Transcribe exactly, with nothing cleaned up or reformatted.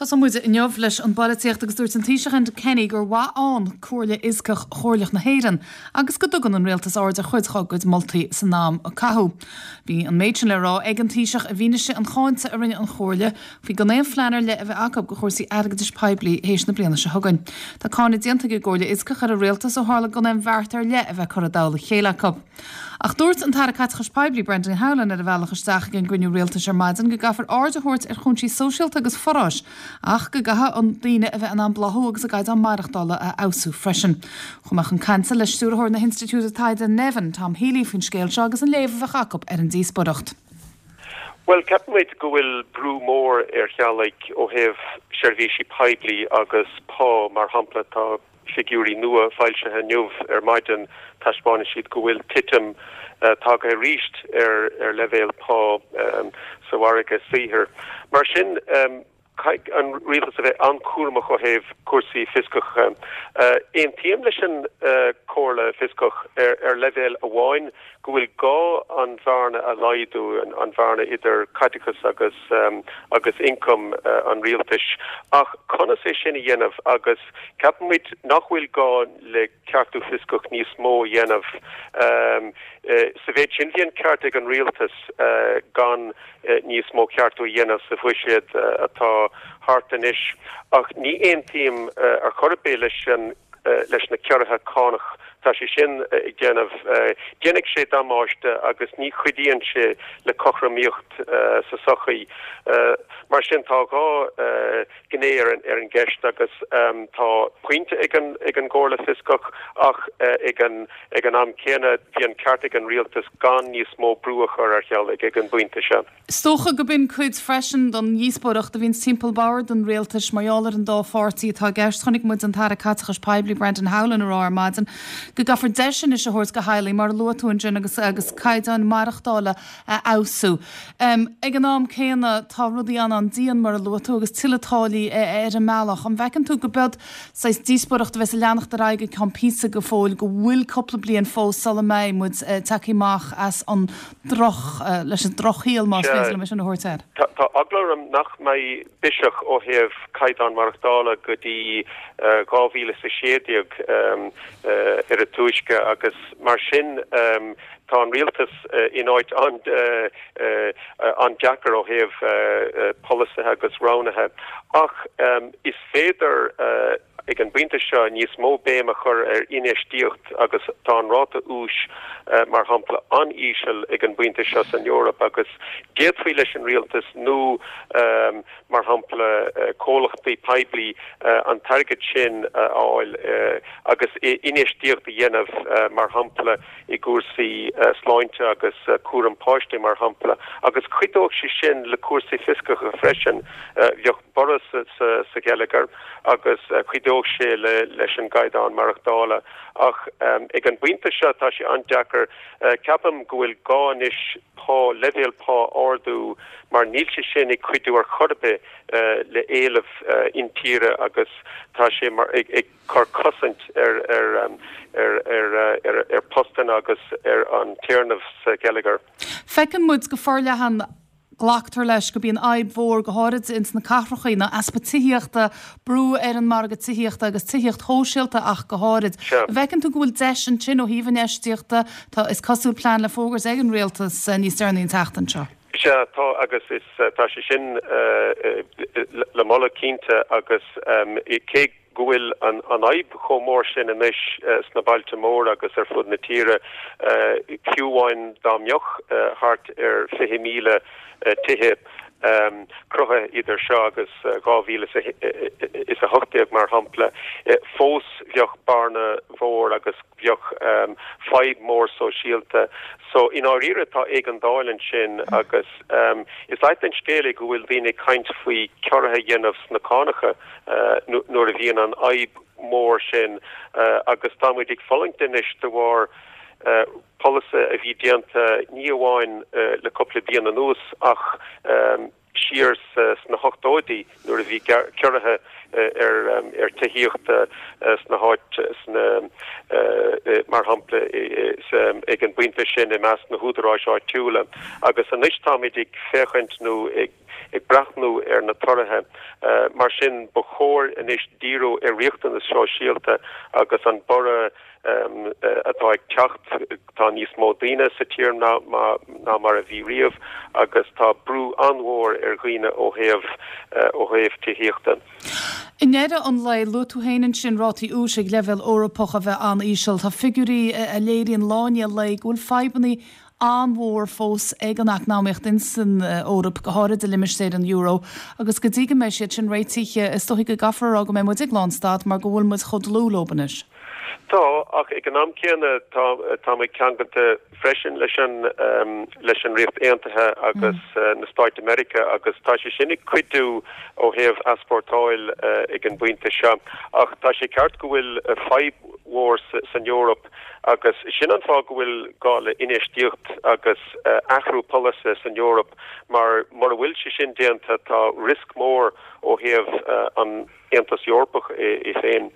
Tosóidh muid inniu leis an bpolaitíocht agus dúirt an Taoiseach Enda Kenny gur mhaith ann Comhairle Fhioscach Chomhairleach na hÉireann agus go dtugann an rialtas aird ar chuid dá gcuid moltaí san am a caitheadh. Bhí an méid sin le rá ag an Taoiseach i bhfianaise an cháinte a rinne an Chomhairle faoi gan aon phlean ar leith a bheith acu do chúrsaí airgeadais poiblí théis na bliana seo chugainn. Tá cáineadh déanta ag an gComhairle Fhioscach ar an rialtas ó tharla gan aon bheart ar leith a bheith curtha i dtoll a chéile acu. Ach dúirt an tAire Caiteachais Poiblí Brendan Howlin ar a bhealach isteach ag an gcruinniú rialtais ar maidin go gcaithfear aird a thabhairt ar chúinsí sóisialta agus foráis ach go gcaithfidh daoine a bheith in ann bláthú agus a gcaighdeán maireachtála a fheabhsú freisin. Chuaigh mé chun cainte le stiúrthóir na hInstitiúide Taighde Nevin, Tom Healy faoin scéal seo agus an léamh a bheadh acu ar an díospóireacht. Well ceapaimid go bhfuil brú mór ar theaghlaigh ó thaobh seirbhísí poiblí agus pá mar shampla tá figiúirí nua foilsithe inniu ar maidin taispeánann siad go bhfuil titim uh, tagtha arís ar ar leibhéal pá um, sa mhargadh saothair. Mar sin um, caithfidh an rialtas a bheith an-chúramach ó thaobh cúrsaí fioscacha. Uh, Aontaím leis an uh, Chomhairle Fhioscach ar, ar leibhéal amháin go bhfuil gá an bhearna a laghdú an, an bhearna idir caiteachas agus um, agus ioncam uh, an rialtais ach conas é sin a dhéanamh agus ceapaimid nach bhfuil gá le ceartú fioscach níos mó a dhéanamh um, uh, sa mhéid sin bhí an ceart ag an rialtas uh, gan uh, níos mó ceartú a dhéanamh sa bhuiséad uh, atá thart anois ach ní aontaím uh, ar chor ar bith leis an uh, leis na ciorruithe cánach tá sé sin uh, ag déanamh uh, déanfaidh sé damáiste agus ní chuidíonn sé le cothromaíocht uh, sa sochaí uh, mar sin tá dhá uh, gné ar an ar an gceist agus um, tá pointe ag an ag an gComhairle Fhioscach ach uh, ag an ag an am céanna bhí an ceart ag an rialtas gan níos mó brú a chur ar theaghlaigh ag an bpointe seo. Is dócha go b'in cuid freisin den dhíospóireacht a bhíonn timpeall bord an rialtais mar gheall ar an dá pháirtí atá i gceist chonaic muid an tAire Caiteachais Poiblí Brendan Howlin ar ar maidin go gcaithfear deiseanna a thabhairt do theaghlaigh mar luaigh tú ansin agus agus caighdeán maireachtála a fheabhsú. Um, ag an am céanna tá rudaí an an-dian mar a luaigh tú agus tuilleadh táillí ar an mbealach. An bhfeiceann tú go b'fhéidir saghas díospóireacht a bheas ag leanacht ar aghaidh go ceann píosa go fóill go bhfuil cúpla bliain fós sula mbeidh muid uh, tagtha amach as an droch uh, leis an drochshaol más féidir liom sin a thabhairt air. Tá eagla orm nach mbeidh biseach ó thaobh caighdeán maireachtála go dtí dhá mhíle is a sé déag ar a túisce agus mar sin um, tá an rialtas uh, in áit an uh, uh, an-deacair ó thaobh uh, uh, polasaithe agus roghnaithe ach um, is féidir uh, ag an bpointe seo níos mó béim a chur ar infheistíocht agus tá an ráta úis uh, mar shampla an-íseal ag an bpointe seo san Eoraip agus d'fhéadfaí leis an rialtas nó um, mar shampla uh, comhlachtaí poiblí uh, an t-airgead sin uh, fháil uh, agus infheistíocht a dhéanamh uh, mar shampla i gcúrsaí uh, sláinte agus uh, cúram páistí mar shampla agus chuideodh sé sin le cúrsaí fioscacha freisin uh, bheadh borradh sa, sa, sa gheilleagar agus uh, chuideodh sé le leis an gcaighdeán maireachtála ach um, ag an bpointe seo tá sé an-deacair uh, ceapaim go bhfuil gá anois pá leibhéal pá ardú mar níl sé sin ag cuidiú ar chor ar bith uh, le éileamh uh, intíre agus tá sé mar ag, ag cur cosaint ar ar, um, ar, ar, ar, ar postanna agus ar an téarnamh sa gheilleagar. Feiceann muid go forleathan glactar leis go mbíonn fadhb mhór go háirid ins na cathracha ná easpa tithíochta brú ar an margadh tithíochta agus tithíocht shóisialta ach go háirid. Bhfeiceann tú go bhfuil deis ansin ó thaobh infheistíochta tá is cosúil plean le fógairt ag an rialtas níos deireanaí an tseachtain seo. Sea tá agus is tá sé sin uh, le moladh cinnte agus um, cé go bhfuil an an fhadhb chomh mór sin anois uh, sna bailte móra agus ar fud na tíre uh, fiú amháin dá mbeadh uh, thart ar fiche míle uh, tithe um, cruthaithe idir seo agus dhá mhíle is a hocht déag mar shampla uh, fós bheadh bearna mhór agus bheadh um, fadhb mór sóisialta so in áirithe tá ag an dáil sin agus um, is ait an scéal é go bhfuil daoine caint faoi ciorruithe a dhéanamh sna cánacha uh, nuair a bhíonn an fhadhb mór sin uh, agus táimid ag fulaingt anois de bharr uh, polasaithe a bhí déanta ní amháin uh, le cúpla bliain anuas ach um, siar sna hochtóidí nuair a bhí ciorruithe ar um, ar tithíocht uh, sna háit sna uh, mar shampla ag an bpointe sin i measc na húdaráis áitiúla agus anois táimid ag féachaint nó ag ag breathnú ar na torthaithe. Mar sin ba chóir anois díriú ar riachtanas sóisialta agus an borradh atá ag teacht tá níos mó daoine sa tír ná ná mar a bhí riamh agus tá brú an-mhór ar dhaoine ó thaobh ó thaobh tithíochta. I ndeireadh an lae luaigh tú féin ansin rátaí úis ag leibhéal Eorpach a bheith an-íseal. Tá figiúirí a léiríonn lá i ndiaidh lae go bhfuil fadhbanna an-mhór fós ag an eacnamaíocht insan Eoraip, go háirid i limistéar an euro, agus go dtí go mbeidh siad sin réitithe, is dóigh go gcaithfear a rá go mbeidh muid ag lánstad mar go bhfuil muid chomh dlúth leo anois. Tá, ach ag an am céanna tá tá muid ceangailte freisin leis an leis an Ríocht Aontaithe agus na Stáit Meiriceá agus tá sé sin ag cuidiú ó thaobh easpórtáil ag an bpointe seo. Ach tá sé ceart go bhfuil fadhb mhór san Eoraip agus sin an fáth go bhfuil gá le infheistíocht agus athrú polasaithe san Eoraip mar mura bhfuil sé sin déanta tá riosca mór ó thaobh an Aontas Eorpach é féin.